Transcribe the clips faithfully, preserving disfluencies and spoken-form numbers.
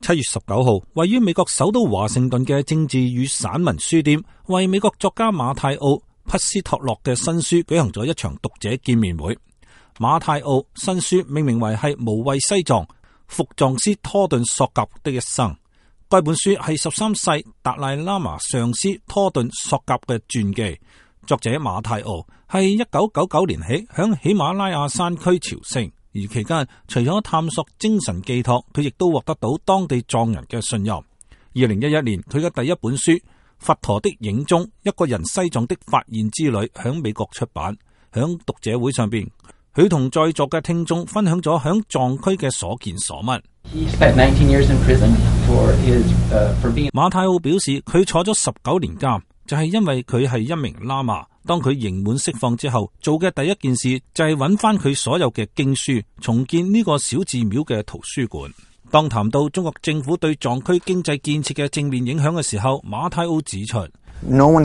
七月十九號，位於美國首都華盛頓嘅政治與散文書店，為美國作家馬太奧·匹斯托洛嘅新書舉行咗一場讀者見面會。馬太奧新書命名為係無畏西藏，伏藏師托頓索格的一生。該本書係十三世達賴喇嘛上師托頓索格嘅傳記。作者馬太奧係一九九九年起響喜馬拉雅山區朝聖。而期間，除咗探索精神寄託，佢亦都獲得到當地藏人嘅信任。二零一一年，佢嘅第一本書《佛陀的影蹤：一個人西藏的發現之旅》響美國出版。響讀者會上邊，佢同在座嘅聽眾分享咗響藏區嘅所見所聞。馬太奧表示，佢坐咗十九年監，就係因為佢係一名喇嘛。當佢刑滿釋放之後，做嘅第一件事就係揾翻佢所有嘅經書，重建呢個小寺廟嘅圖書館。當談到中國政府對藏區經濟建設嘅正面影響嘅時候，馬太奧指出，冇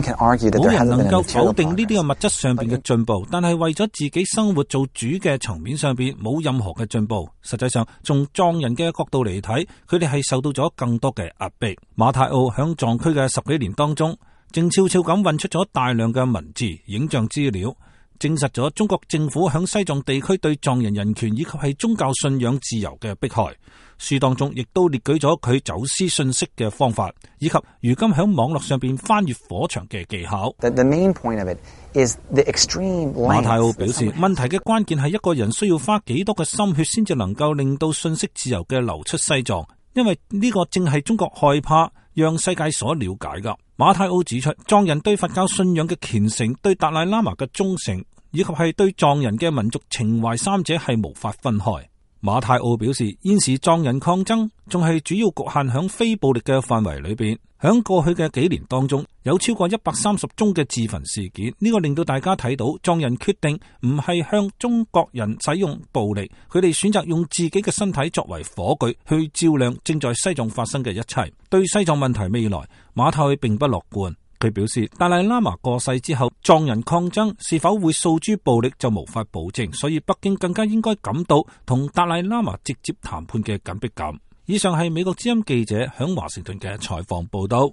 人能夠否定呢啲嘅物質上邊嘅進步，但係為咗自己生活做主嘅層面上邊冇任何嘅進步。實際上，從藏人嘅角度嚟睇，佢哋係受到咗更多嘅壓迫。馬太奧響藏區嘅十幾年當中，正悄悄咁運出咗大量嘅文字、影像資料，證實咗中國政府響西藏地區對藏人人權以及係宗教信仰自由嘅迫害。書當中亦都列舉咗佢走私信息嘅方法，以及如今響網絡上邊翻越火牆嘅技巧。The, the main point of it is the extreme length. 馬太奧表示，問題嘅關鍵係一個人需要花幾多嘅心血先至能夠令到信息自由嘅流出西藏，因為呢個正係中國害怕讓世界所了解噶。馬太奧指出，藏人對佛教信仰嘅虔誠、對達賴喇嘛嘅忠誠，以及係對藏人嘅民族情懷三者係無法分開。馬太奧表示，現時藏人抗爭仲係主要局限響非暴力嘅範圍裏邊。響過去嘅幾年當中，有超過一百三十宗嘅自焚事件，呢個令到大家睇到藏人決定唔係向中國人使用暴力，佢哋選擇用自己嘅身體作為火炬去照亮正在西藏發生嘅一切。對西藏問題未來，馬太奧並不樂觀。佢表示，達賴喇嘛過世之後，藏人抗爭是否會訴諸暴力就無法保證，所以北京更加應該感到同達賴喇嘛直接談判嘅緊迫感。以上係美國之音記者響華盛頓嘅採訪報道。